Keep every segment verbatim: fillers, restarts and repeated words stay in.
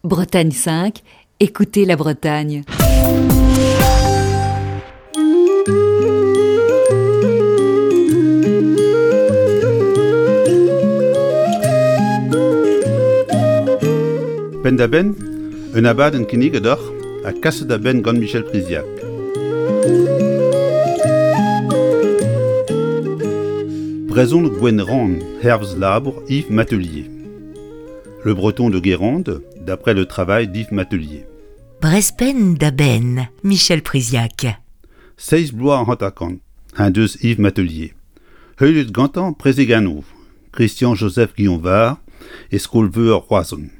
Bretagne cinq, écoutez la Bretagne. Penn-da-benn, un abadenn kinniget deoc'h ha kaset da benn gant Michel Priziac. Brezhoneg Gwenrann, hervez labour Yves Matelier. Le breton de Guérande, d'après le travail d'Yves Matelier. Brespen da benn, Michel Priziac. Seizh bloaz hanter-kant, en deus Yves Matelier. Heuliet gantañ prezegennoù, Christian-Joseph Guionvar e skol-veur Roazhon.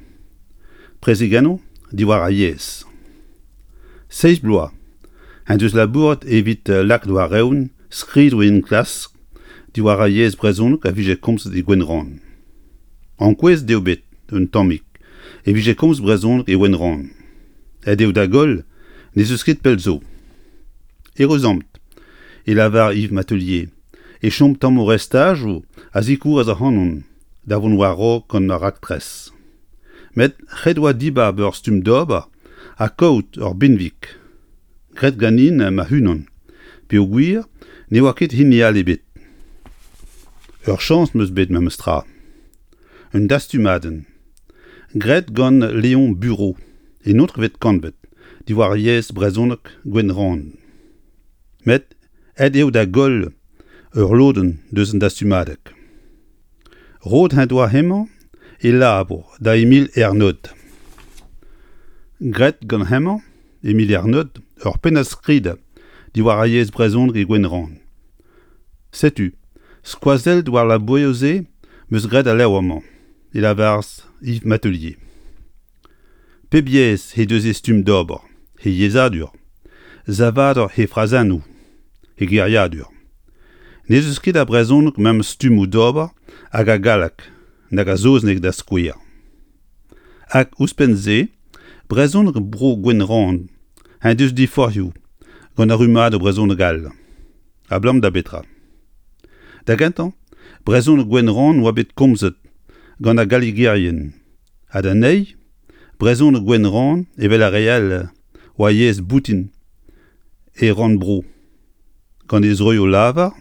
Prezegennoù diwar ar yezh. Seizh bloaz, en deus labouret evit lakaat war-eeun skridoù enklask diwar ar yezh brezhoneg a vije komzet e Gwenrann. Ankouaet eo bet un tammig e vije komz brezhoneg e Gwenrann. Aet eo da goll n'ez eus ket pell zo. Eüruzamant, e lavar Yves Matelier, e chom tammoù restajoù a zikouras ac'hanon da vont war-raok gant ar raktres. Met ret oa dibab ur stumm d'ober ha kaout ur benveg. Graet ganin ma-unan, peogwir ne oa ket hini all ebet. Ur chañs 'm eus bet memes tra. Un dastumadenn. Graet gant Léon Bureau, en naontekvet kantved, diwar yezh brezhoneg Gwenrann. Met aet eo da goll ur lodenn deus an dastumadeg. Roet en doa hemañ e labour da Emil Ernod. Graet gant hemañ, Emil Ernod, ur pennad-skrid diwar ar yezh brezhoneg e Gwenrann. Setu, skoazellet war labourioù-se 'm eus graet al levr-mañ, e lavaras Yves Matelier. Pep yezh he deus he stumm d'ober, he yezhadur, savadur he frazennoù, he geriadur. N'ez eus ket a brezhoneg memes stummoù d'ober hag ar galleg nag ar saozneg da skouer. Hag ouzhpenn-se, brezhoneg bro Gwenrann en deus diforc'hioù gant ar rummadoù brezhoneg all. Abalamour da betra? Da gentañ, brezhoneg Gwenrann oa bet komzet gant ar gallegerien ha d'an eil, brezhoneg Gwenrann evel ar re all oa yezh boutin e rannvro. Gant he zroioù lavar,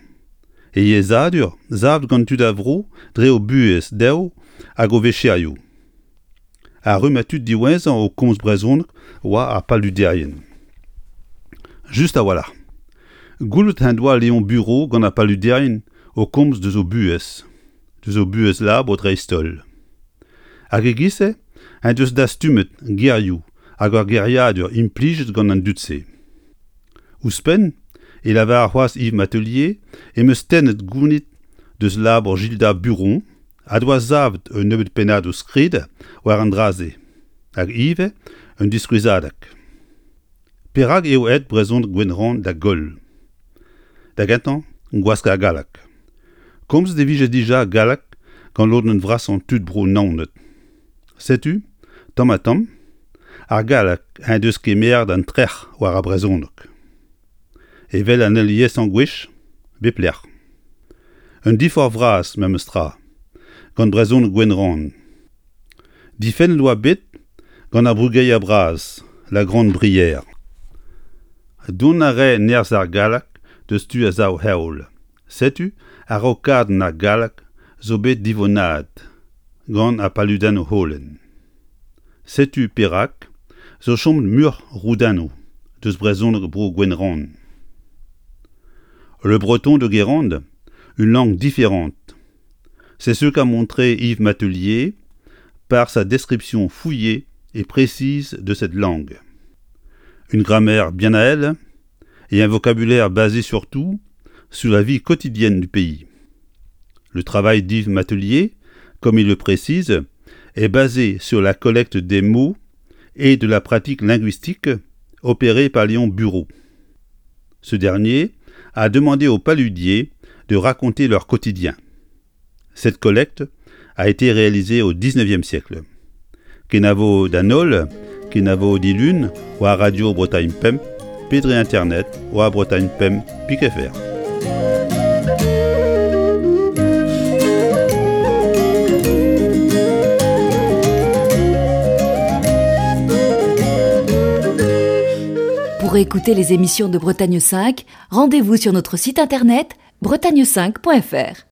he yezhadur savet gant tud a vro dre o buhez dezho hag o vecherioù. Ar rummad tud diwezhañ o komz brezhoneg oa ar paluderien. Just a-walc'h. Goulennet en doa Léon Bureau gant ar paluderien o komz deus o buhez, deus o buhez labour dreist-holl. Hag e-giz-se en deus dastumet gerioù hag ur geriadur implijet gant an dud-se. Ouzhpenn, e lavar c'hoazh Yves Matelier em eus tennet gounid deus labour Gilda Buron ha doa savet un nebeud pennadoù skrid war an dra-se, hag ivez un diskouezadeg. Perak eo aet brezhoneg Gwenrann da goll? Da gentañ, gwask ar galleg. Komzet e vije dija galleg gant lodenn vrasañ tud bro Naoned. Setu, tamm-ha-tamm, ar galleg en deus kemeret an trec'h war ar brezhoneg. Evel an aliesañ gwech, bep lec'h. Un diforc'h vras memes tra, gant brezhoneg Gwenrann. Difennet oa bet gant ar brugeier bras, la Grande Brière. Dont a rae nerzh ar galleg deus tu ar sav-heol. Setu araokadenn ar galleg zo bet divonnaet gant ar paludennoù holen. Setu perak zo chomet muioc'h roudennoù deus brezhoneg bro Gwenrann. Le breton de Guérande, une langue différente. C'est ce qu'a montré Yves Matelier par sa description fouillée et précise de cette langue. Une grammaire bien à elle et un vocabulaire basé surtout sur la vie quotidienne du pays. Le travail d'Yves Matelier, comme il le précise, est basé sur la collecte des mots et de la pratique linguistique opérée par Léon Bureau. Ce dernier a demandé aux paludiers de raconter leur quotidien. Cette collecte a été réalisée au dix-neuvième siècle. Kenavo d'an holl, kenavo dilun, war Radio Bretagne Pemp, pe dre internet, war Bretagne Pemp pik F R. Pour écouter les émissions de Bretagne cinq, rendez-vous sur notre site internet bretagne cinq point F R.